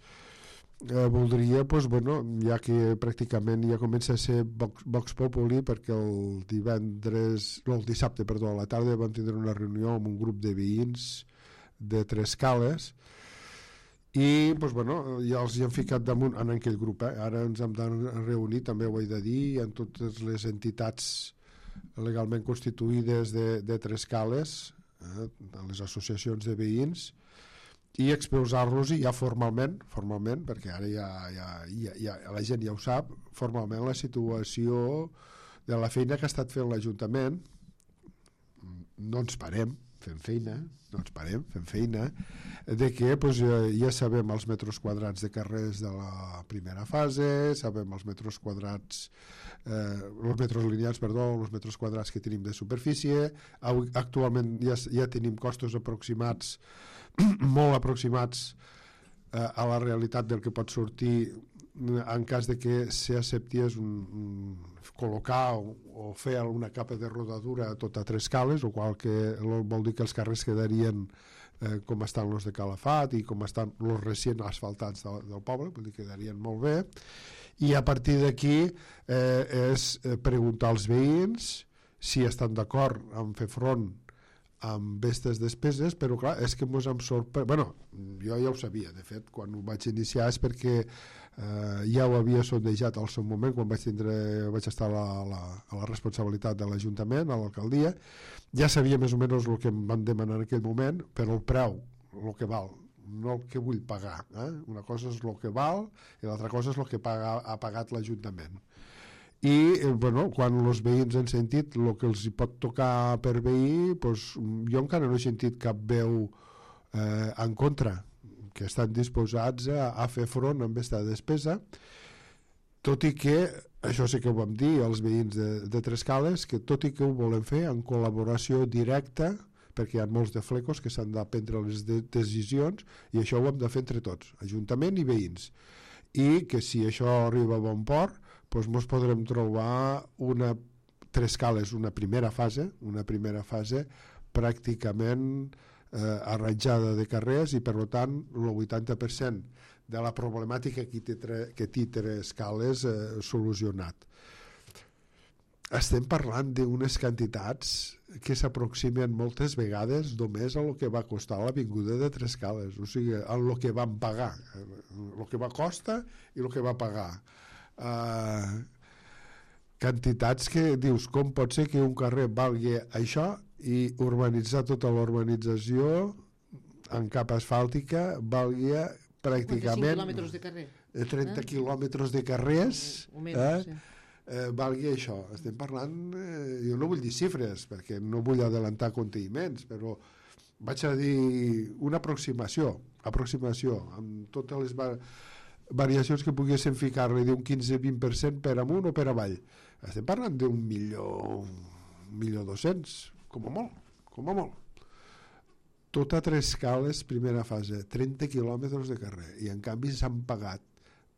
eh, voldria, pues, bueno, ja que pràcticament ja comença a ser Vox, Vox Populi, perquè el divendres, no, el dissabte, perdó, a la tarda vam tindre una reunió amb un grup de veïns de Tres Cales i doncs, bueno, ja els hi han ficat damunt en aquell grup, eh? Ara ens hem de reunir, també ho he de dir, en totes les entitats legalment constituïdes de, de Trescales, eh? les associacions de veïns, i exposar-los ja formalment, formalment, perquè ara ja, ja, ja, ja la gent ja ho sap, formalment la situació de la feina que ha estat fent l'Ajuntament. No ens parem, fem feina, no ens parem, fem feina, de que doncs, ja sabem els metres quadrats de carrers de la primera fase, sabem els metres quadrats, eh, els metres lineals, perdó, els metres quadrats que tenim de superfície. Actualment ja, ja tenim costos aproximats, molt aproximats eh, a la realitat del que pot sortir en cas de que s'acceptés un, un, col·locar o, o fer alguna capa de rodadura a tot a tres cales, o qual que vol dir que els carrers quedarien eh, com estan els de Calafat i com estan els recient asfaltats del, del poble, vull dir que quedarien molt bé, i a partir d'aquí eh, és preguntar als veïns si estan d'acord en fer front amb aquestes despeses, però clar, és que ens hem sorprès. Bueno, jo ja ho sabia, de fet, quan ho vaig iniciar és perquè eh, ja ho havia sondejat al seu moment, quan vaig, tindre, vaig estar a la, la, a la responsabilitat de l'Ajuntament, a l'alcaldia, ja sabia més o menys el que em van demanar en aquell moment, però el preu, el que val, no el que vull pagar. Eh? Una cosa és el que val i l'altra cosa és el que paga, ha pagat l'Ajuntament. I eh, bueno, quan els veïns han sentit el que els hi pot tocar per veí, doncs, jo encara no he sentit cap veu eh, en contra, que estan disposats a, a fer front amb aquesta despesa, tot i que, això sí que ho vam dir als veïns de, de Trescales, que tot i que ho volen fer en col·laboració directa, perquè hi ha molts de flecos que s'han de prendre les de decisions, i això ho hem de fer entre tots, Ajuntament i veïns, i que si això arriba a bon port, doncs ens podrem trobar una Trescales, una primera fase, una primera fase pràcticament eh, arranjada de carrers, i per tant el vuitanta per cent de la problemàtica que té, que té Trescales eh, solucionat. Estem parlant d'unes quantitats que s'aproximen moltes vegades només a el que va costar l'avinguda de Trescales, o sigui, a el que vam pagar, el que va costar i el que va pagar. Uh, quantitats que dius, com pot ser que un carrer valgui això i urbanitzar tota l'urbanització en capa asfàltica valgui pràcticament quilòmetres de carrer, trenta eh? quilòmetres de carrers, o, o menys, eh? Sí. Eh, valgui això. Estem parlant, eh, jo no vull dir xifres perquè no vull adelantar conteïments, però vaig a dir una aproximació aproximació amb totes les va variacions que poguessin ficar-li d'un quinze a vint per cent per amunt o per avall. Estem parlant d'un milió, un milió dos-cents, com a molt, com a molt. Tot a Trescales, primera fase, trenta quilòmetres de carrer, i en canvi s'han pagat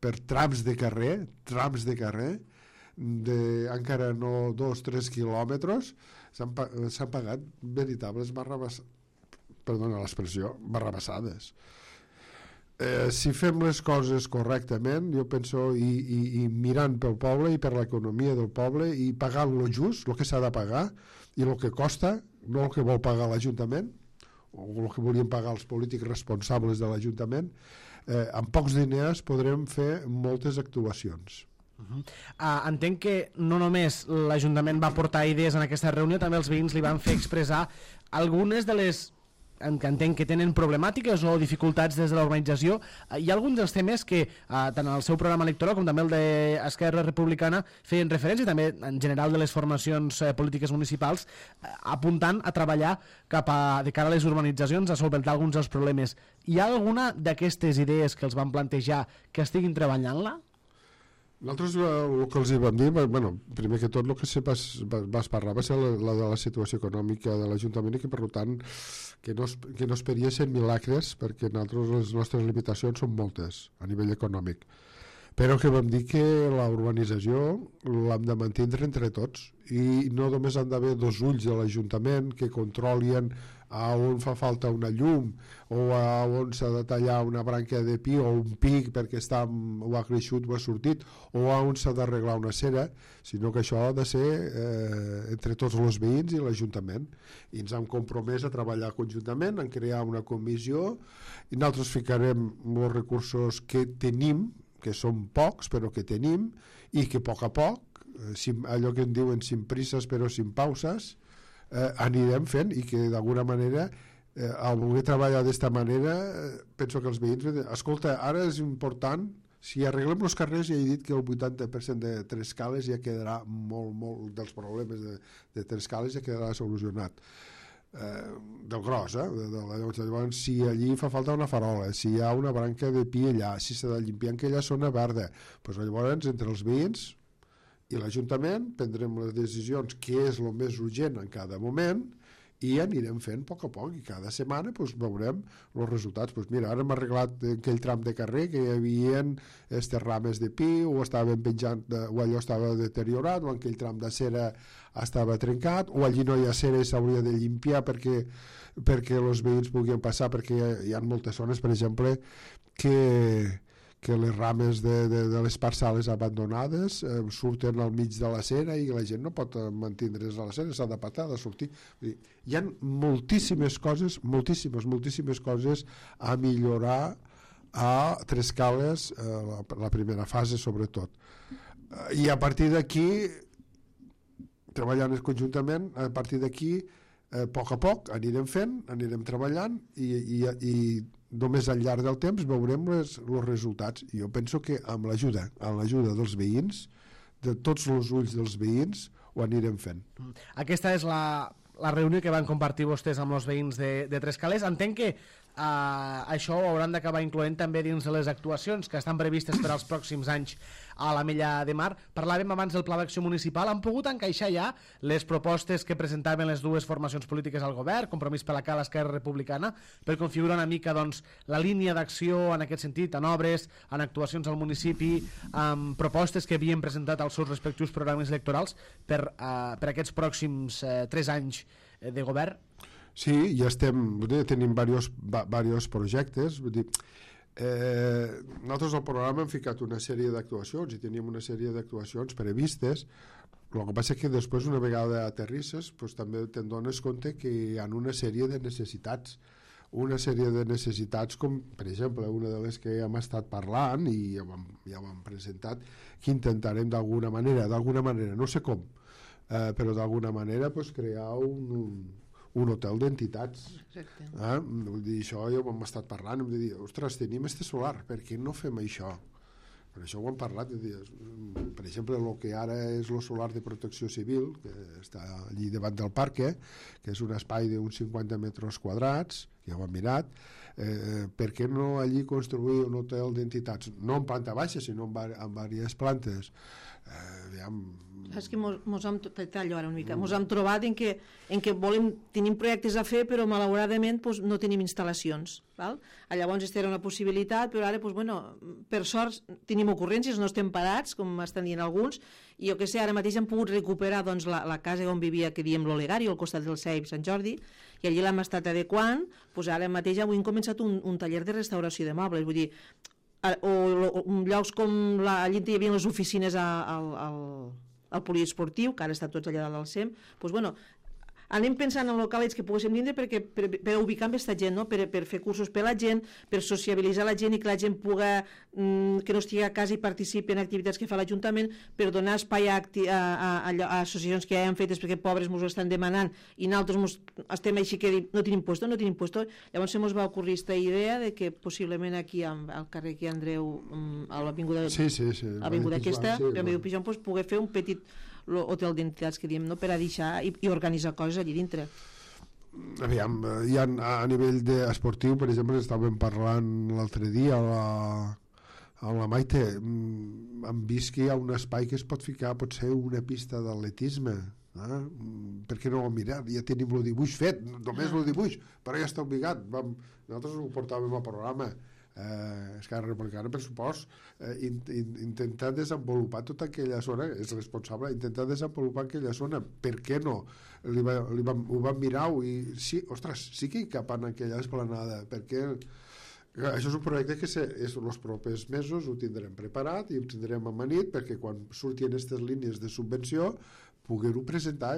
per trams de carrer, trams de carrer, de encara no dos o tres quilòmetres, s'han pagat veritables barrabassades, perdona l'expressió, barrabassades. Eh, si fem les coses correctament, jo penso, i, i, i mirant pel poble i per l'economia del poble i pagant lo just, el que s'ha de pagar i el que costa, no el que vol pagar l'Ajuntament o el que volien pagar els polítics responsables de l'Ajuntament, eh, amb pocs diners podrem fer moltes actuacions. Uh-huh. Uh, entenc que no només l'Ajuntament va portar idees en aquesta reunió, també els veïns li van fer expressar algunes de les en que entenc que tenen problemàtiques o dificultats des de la urbanització. Hi ha alguns dels temes que eh, tant el seu programa electoral com també el d'Esquerra Republicana feien referència, també en general de les formacions eh, polítiques municipals, eh, apuntant a treballar cap a, de cara a les urbanitzacions, a solventar alguns dels problemes. Hi ha alguna d'aquestes idees que els van plantejar que estiguin treballant-la? Nosaltres el que els hi vam dir, bueno, primer que tot el que se vas, vas parlar va ser la, la de la situació econòmica de l'Ajuntament i que per tant que no, que no esperiessin milagres perquè nosaltres les nostres limitacions són moltes a nivell econòmic. però que vam dir que la urbanització l'hem de mantenir entre tots i no només han d'haver dos ulls de l'Ajuntament que controlien a on fa falta una llum o a on s'ha de tallar una branca de pi o un pic perquè està, o ha creixut o ha sortit o a on s'ha d'arreglar una cera, sinó que això ha de ser eh, entre tots els veïns i l'Ajuntament, i ens hem compromès a treballar conjuntament, en crear una comissió i nosaltres ficarem els recursos que tenim, que són pocs però que tenim, i que a poc a poc, eh, allò que en diuen sin prisses però sin pauses, Eh, anirem fent, i que d'alguna manera eh, al voler treballar d'esta manera eh, penso que els veïns escolta, ara és important, si arreglem els carrers ja he dit que el vuitanta per cent de Trescales ja quedarà molt, molt dels problemes de, de Trescales ja quedarà solucionat eh, del gros eh? de, de la, llavors si allí fa falta una farola, si hi ha una branca de pi allà, si s'ha de limpiar aquella zona verda, doncs llavors entre els veïns i l'Ajuntament prendrem les decisions què és el més urgent en cada moment i anirem fent a poc a poc i cada setmana pues, veurem els resultats. Pues mira, ara hem arreglat aquell tram de carrer que hi havia aquestes rames de pi o estaven penjant de, o allò estava deteriorat o aquell tram de cera estava trencat o allí no hi ha cera i s'hauria de limpiar perquè, perquè els veïns puguin passar, perquè hi ha, hi ha moltes zones, per exemple, que que les rames de, de, de les parcel·les abandonades eh, surten al mig de la cera i la gent no pot mantindre's a la cera, s'ha de patar, de sortir. Hi ha moltíssimes coses, moltíssimes, moltíssimes coses a millorar a Trescales, eh, la, la primera fase sobretot. Eh, I a partir d'aquí, treballant conjuntament, a partir d'aquí, eh, a poc a poc anirem fent, anirem treballant i, i, i només al llarg del temps veurem els resultats. I jo penso que amb l'ajuda amb l'ajuda dels veïns, de tots els ulls dels veïns, ho anirem fent. Aquesta és la, la reunió que van compartir vostès amb els veïns de, de Trescales. Entenc que Uh, això ho hauran d'acabar incloent també dins de les actuacions que estan previstes per als pròxims anys a l'Ametlla de Mar. Parlàvem abans del Pla d'Acció Municipal. Han pogut encaixar ja les propostes que presentaven les dues formacions polítiques al govern, Compromís per la Cala, Esquerra Republicana, per configurar una mica doncs, la línia d'acció en aquest sentit, en obres, en actuacions al municipi, amb propostes que havien presentat als seus respectius programes electorals per, uh, per aquests pròxims uh, tres anys de govern? Sí, ja estem, dir, tenim diversos, diversos projectes, vull dir, eh, nosaltres al programa hem ficat una sèrie d'actuacions i teníem una sèrie d'actuacions previstes. El que passa és que després, una vegada aterrisses, pues, també te'n dones compte que hi ha una sèrie de necessitats, una sèrie de necessitats com, per exemple, una de les que hem estat parlant i ja ho hem, ja ho hem presentat, que intentarem d'alguna manera, d'alguna manera, no sé com, eh, però d'alguna manera pues, crear un... un un hotel d'entitats. Exacte. Eh? Vull dir, això ja ho hem estat parlant, hem de dir, ostres, tenim este solar, per què no fem això? Per això ho hem parlat, dir, per exemple, el que ara és el solar de protecció civil, que està allí davant del parc, eh? Que és un espai d'uns cinquanta metres quadrats, que ja ho hem mirat, eh, per què no allí construir un hotel d'entitats? No en planta baixa, sinó en, en diverses plantes. Eh, aviam, és que mos, mos hem, tallo ara una mica, mos hem trobat en que, en que volem, tenim projectes a fer però malauradament pues, no tenim instal·lacions, val? Llavors aquesta era una possibilitat, però ara pues, bueno, per sort tenim ocurrències, no estem parats com estan dient alguns, i jo que sé, ara mateix hem pogut recuperar doncs, la, la casa on vivia, que diem l'Olegari, al costat del C E I P Sant Jordi, i allí l'hem estat adequant, pues, ara mateix avui hem començat un, un taller de restauració de mobles, vull dir, o, o, o llocs com la, allí hi havia les oficines al, al, al poliesportiu, que ara estan tots allà dalt del C E M, doncs, bueno, anem pensant en locals que poguéssim vindre perquè, per, per ubicar amb aquesta gent, no? per, per fer cursos per la gent, per sociabilitzar la gent i que la gent pugui, mm, que no estigui a casa i participi en activitats que fa l'Ajuntament, per donar espai a, a, a, a associacions que ja han fetes perquè pobres ens ho estan demanant i nosaltres mos, estem així que no tenim puesto, no tenim puesto. Llavors se mos va ocorrir aquesta idea de que possiblement aquí al carrer aquí Andreu, a l'avinguda sí, sí, sí, aquesta, sí, per Andreu Pijon, pues, poder fer un petit hotel d'entitats que diem, no? Per a deixar i, i organitzar coses allí dintre. Aviam, hi ha, a nivell de esportiu, per exemple, estàvem parlant l'altre dia a la, a la Maite, hem vist que hi ha un espai que es pot ficar, pot ser una pista d'atletisme, eh? Per què no ho hem mirat? Ja tenim el dibuix fet, només el dibuix, però ja està ubicat. Vam, nosaltres ho portàvem al programa. Eh, Esquerra Republicana, per supost, eh, in, in, intentar desenvolupar tota aquella zona, és responsable, intentar desenvolupar aquella zona. Per què no? Li va, li va, ho van mirar i sí, ostres, sí que hi cap en aquella esplanada, perquè això és un projecte que se, és, els propers mesos ho tindrem preparat i ho tindrem amanit perquè quan surtin aquestes línies de subvenció poder-ho presentar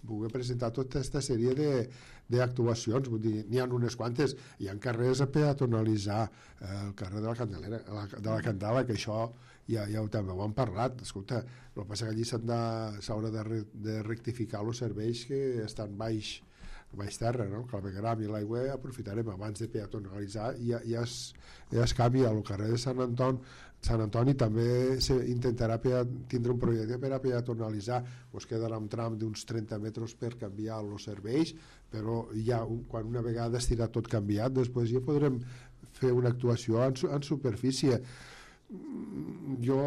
poder presentar tota aquesta sèrie d'actuacions, vull dir, n'hi ha unes quantes, hi ha carrers a peatonalitzar, eh, el carrer de la Candelera, la, de la Candela, que això ja, ja ho, també ho han parlat, escolta, el que passa que allí s'haurà de, re, de rectificar els serveis que estan baix, baix terra, no? El clavegueram i l'aigua aprofitarem abans de peatonalitzar i ja, ja, es, ja es canvia al carrer de Sant Anton. Sant Antoni també intentarà tindre un projecte per a peatonalitzar, pues quedarà un tram d'uns trenta metres per canviar els serveis, però ja quan una vegada estirà tot canviat després ja podrem fer una actuació en, en superfície. Jo...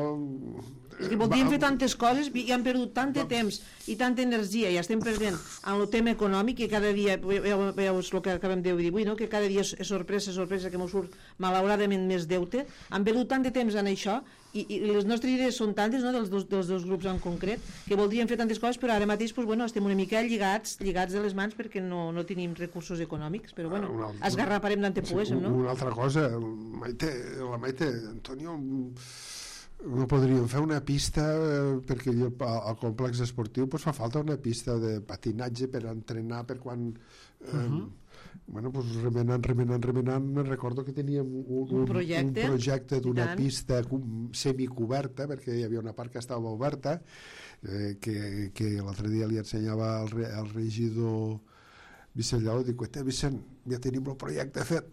És que voldríem fer tantes coses i han perdut tant de temps i tanta energia i estem perdent en el tema econòmic que cada dia, veus el que acabem de dir avui, no? Que cada dia és sorpresa, sorpresa que ens surt malauradament més deute, han perdut tant de temps en això i, i les nostres idees són tantes, no? dels, dos, dels dos grups en concret, que voldríem fer tantes coses però ara mateix pues, bueno, estem una mica lligats lligats de les mans perquè no, no tenim recursos econòmics, però bueno, altra, esgarraparem tant te poguéssim, no? Una altra cosa, Maite, la Maite, Antonio, no podríem fer una pista eh, perquè al complex esportiu pues, fa falta una pista de patinatge per entrenar per quan eh, uh-huh. bueno, pues, remenant, remenant, remenant me recordo que teníem un, un, un projecte, un projecte d'una pista semicoberta perquè hi havia una part que estava oberta eh, que, que l'altre dia li ensenyava al, re, al regidor Vicent Lleó, dic, Vicent, ja tenim el projecte fet,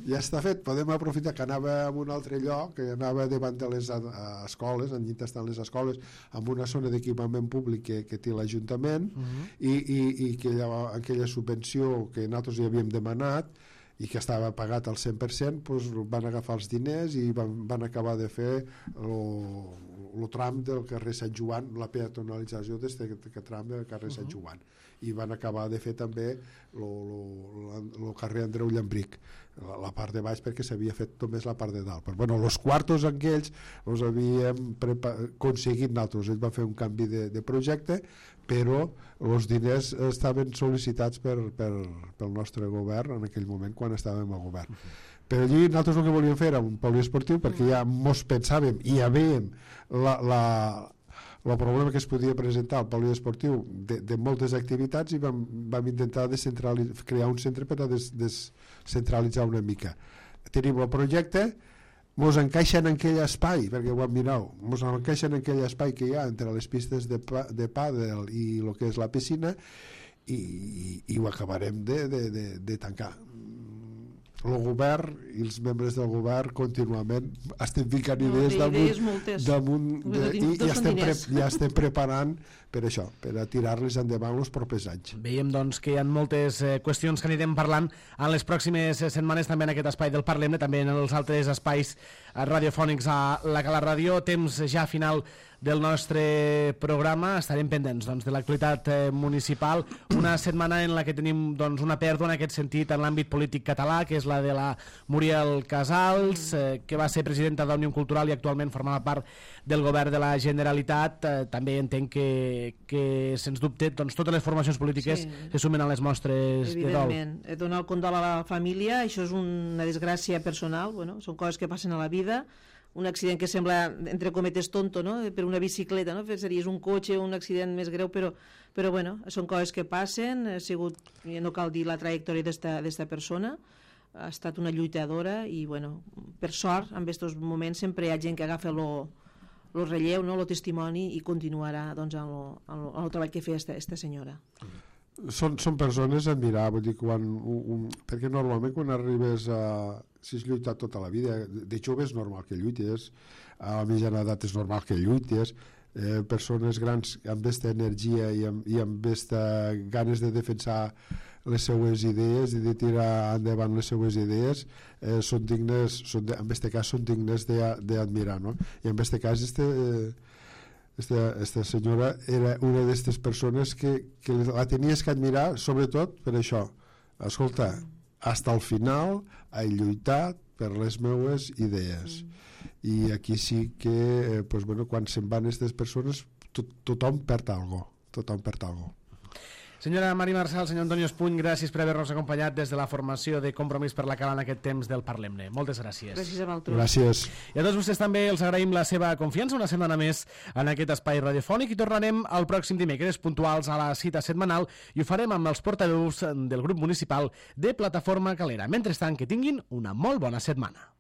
ja està fet, podem aprofitar que anava a un altre lloc, que anava davant de les escoles, en llit estan les escoles, amb una zona d'equipament públic que, que té l'Ajuntament, uh-huh. i, i, i que aquella, aquella subvenció que nosaltres hi havíem demanat, i que estava pagat al cent per cent, doncs van agafar els diners i van, van acabar de fer el tram del carrer Sant Joan, la peatonalització d'aquest tram del carrer uh-huh. Sant Joan, i van acabar de fer també el carrer Andreu Llambric, la, la part de baix perquè s'havia fet només la part de dalt. Però bueno, els quartos aquells els havíem aconseguit nosaltres, ells van fer un canvi de, de projecte, però els diners estaven sol·licitats per, per, pel nostre govern en aquell moment quan estàvem al govern. Uh-huh. Però allí nosaltres el que volíem fer era un poliesportiu perquè ja mos pensàvem i ja veiem la, la, el problema que es podia presentar al poliesportiu de, de moltes activitats i vam, vam intentar crear un centre per a des, descentralitzar una mica. Tenim el projecte, mos encaixa en aquell espai, perquè ho hem mirat, mos encaixa en aquell espai que hi ha entre les pistes de, de pàdel i el que és la piscina i, i, i ho acabarem de, de, de, de tancar. El govern i els membres del govern contínuament estem ficant no, idees damunt, damunt de, i, i estem, pre, ja estem preparant per això, per a tirar-les endavant els propers anys. Veiem doncs que hi ha moltes eh, qüestions que anirem parlant en les pròximes setmanes també en aquest espai del Parlem-ne, també en els altres espais radiofònics a la Cala Ràdio. Temps ja final del nostre programa, estarem pendents doncs, de l'actualitat eh, municipal, una setmana en la que tenim doncs, una pèrdua en aquest sentit en l'àmbit polític català, que és la de la Muriel Casals, eh, que va ser presidenta d'Òmnium Cultural i actualment formava part del govern de la Generalitat. Eh, també entenc que, que sens dubte doncs, totes les formacions polítiques sí. se sumen a les mostres de dol. Evidentment, donar el condol a la família, això és una desgràcia personal, bueno, són coses que passen a la vida, un accident que sembla, entre cometes, tonto, no? Per una bicicleta, no? Series un cotxe, un accident més greu, però, però bueno, són coses que passen, ha sigut, no cal dir la trajectòria d'esta persona, ha estat una lluitadora i, bueno, per sort, en aquests moments sempre hi ha gent que agafa el relleu, no? El testimoni i continuarà doncs, en el treball que feia esta senyora. Són, són persones a admirar, vull dir, quan, un, un, perquè normalment quan arribes a... si has lluitat tota la vida, de jove és normal que lluites, a la mitjana edat és normal que lluites, eh, persones grans amb aquesta energia i amb, i amb aquesta ganes de defensar les seues idees i de tirar endavant les seues idees, eh, són dignes, són de, en aquest cas són dignes d'admirar, no? I en aquest cas este... Eh, Esta, esta senyora era una d'aquestes persones que, que la tenies que admirar sobretot per això, escolta, fins al final ha lluitat per les meues idees. Mm. I aquí sí que, eh, pues, bueno, quan se'n van aquestes persones, to tothom perd alguna cosa. Tothom perd alguna cosa. Senyora Mari Marçal, senyor Antonio Espuny, gràcies per haver-nos acompanyat des de la formació de Compromís per la Cala en aquest temps del Parlem-ne. Moltes gràcies. Gràcies a vosaltres. Gràcies. I a tots vostès també els agraïm la seva confiança una setmana més en aquest espai radiofònic i tornarem el pròxim dimecres puntuals a la cita setmanal i ho farem amb els portaveus del grup municipal de Plataforma Calera. Mentrestant, que tinguin una molt bona setmana.